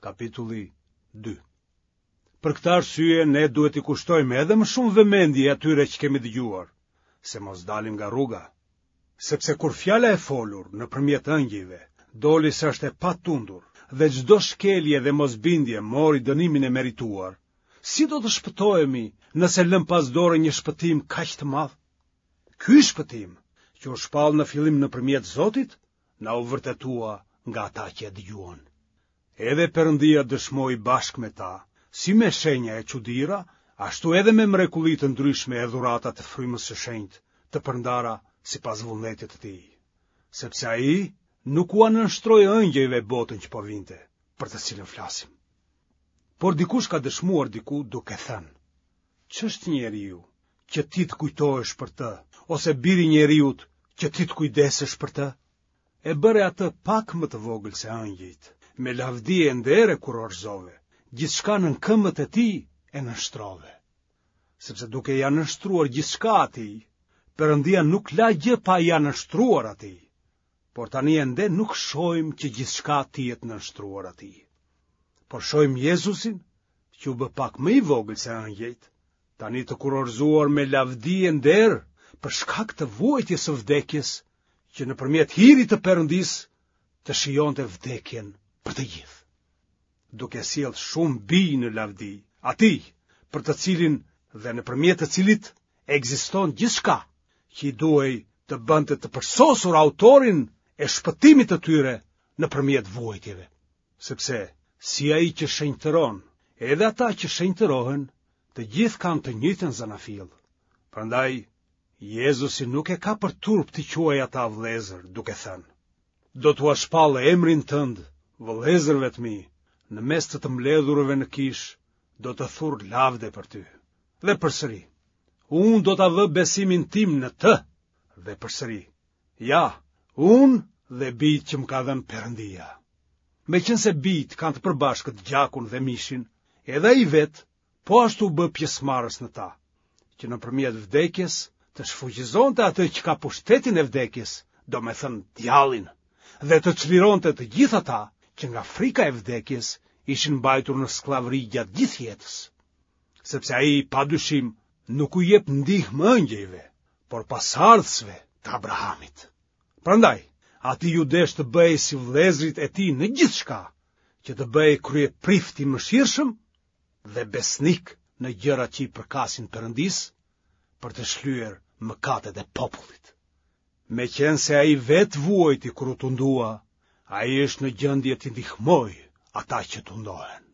Kapitulli 2. Për këtë arsye ne duhet t'i kushtojmë edhe më shumë vëmendje atyre që kemi dëgjuar, se mos dalim nga rruga. Sepse kur fjala e folur nëpërmjet ëngjëjve doli se është e patundur dhe çdo shkelje dhe mosbindje mori dënimin e merituar, si do të shpëtohemi nëse lëmë pas dore një shpëtim kaq të madh? Ky shpëtim, që u shpall në fillim nëpërmjet Zotit, na u vërtetua nga ata që e dëgjuan. Edhe Perëndia dëshmoi bashkë me ta, si me shenja e çudira, ashtu edhe me mrekulli të ndryshme e dhurata të Frymës së Shenjtë, të përndara sipas vullnetit të tij. Sepse ai nuk ua nënshtroi ëngjëjve botën që po vinte, për të cilën flasim. Por dikush ka dëshmuar diku duke thënë, Ç'është njeriu që ti të kujtohesh për të, ose biri i njeriut që ti të kujdesesh për të? E bëre atë pak më të vogël se ëngjëjt, me lavdi e nder e kurorëzove, gjithçka nën këmbët e tij e nënshtrove. Sepse duke ia nënshtruar gjithçka atij, Perëndia nuk la gjë pa ia nënshtruar atij. Por tani ende nuk shohim që gjithçka t'i jetë nënshtruar atij. Por shohim Jezusin, që u bë pak më i vogël se ëngjëjt, tani të kurorëzuar me lavdi e nder për shkak të vuajtjes së vdekjes, që nëpërmjet hirit të Perëndisë të shijonte vdekjen për të gjithë. Duke sjellë shumë bij në lavdi, atij për të cilin dhe nëpërmjet të cilit ekziston gjithçka, që i duhej të bënte të përsosur autorin e shpëtimit të tyre nëpërmjet vuajtjeve. Sepse si ai që shenjtëron, edhe ata që shenjtërohen, të gjithë kanë të njëjtën zanafillë. Prandaj Jezusi nuk e ka për turp t'i quajë ata vëllezër, duke thënë: Do t'ua shpall emrin tënd vëllezërve të mi, në mes të të mbledhurve në kishë, do të thur lavde për ty. Dhe përsëri, unë do ta vë besimin tim në të. Dhe përsëri, ja, unë dhe bijtë që më ka dhënë Perëndia. Meqenëse bijtë kanë të përbashkët gjakun dhe mishin, edhe ai vetë po ashtu u bë pjesëmarrës në ta, që nëpërmjet vdekjes të shfuqizonte atë që ka pushtetin e vdekjes, domethënë djallin, dhe të çlironte të gjithë ata që nga frika e vdekjes ishin mbajtur në skllavëri gjatë gjithë jetës. Sepse ai pa dyshim nuk u jep ndihmë ëngjëjve, por pasardhësve të Abrahamit. Prandaj, atij iu desh të bëhej si vëllezërit e tij në gjithçka, që të bëhej kryeprift i mëshirshëm dhe besnik në gjërat që i përkasin Perëndisë për të shlyer mëkatet e popullit. Meqenëse ai vetë vuajti kur u tundua, ai është në gjendje t'i ndihmojë ata që tundohen.